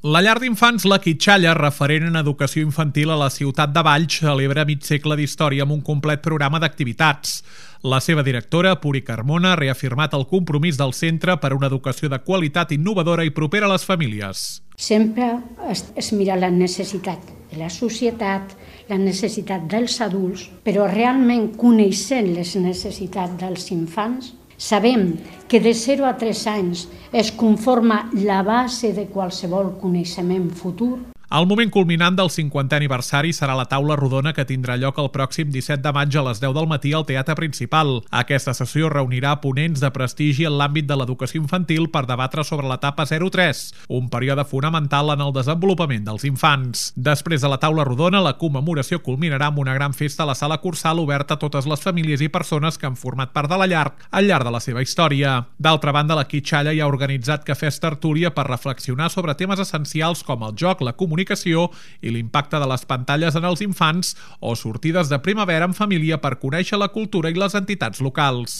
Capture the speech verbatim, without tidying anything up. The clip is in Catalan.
La llar d'infants La Quitxalla, referent en educació infantil a la ciutat de Valls, celebra mig segle d'història amb un complet programa d'activitats. La seva directora, Puri Carmona, ha reafirmat el compromís del centre per a una educació de qualitat innovadora i propera a les famílies. Sempre es, es mira la necessitat de la societat, la necessitat dels adults, però realment coneixent les necessitats dels infants, sabem que de zero a tres anys es conforma la base de qualsevol coneixement futur. El moment culminant del cinquantè aniversari serà la taula rodona que tindrà lloc el pròxim disset de maig a les deu del matí al Teatre Principal. Aquesta sessió reunirà ponents de prestigi en l'àmbit de l'educació infantil per debatre sobre l'etapa zero tres, un període fonamental en el desenvolupament dels infants. Després de la taula rodona, la commemoració culminarà amb una gran festa a la sala Cursal oberta a totes les famílies i persones que han format part de la llar al llarg de la seva història. D'altra banda, La Quitxalla ja ha organitzat cafès tertúlia per reflexionar sobre temes essencials com el joc, la comunicació i l'impacte de les pantalles en els infants o sortides de primavera en família per conèixer la cultura i les entitats locals.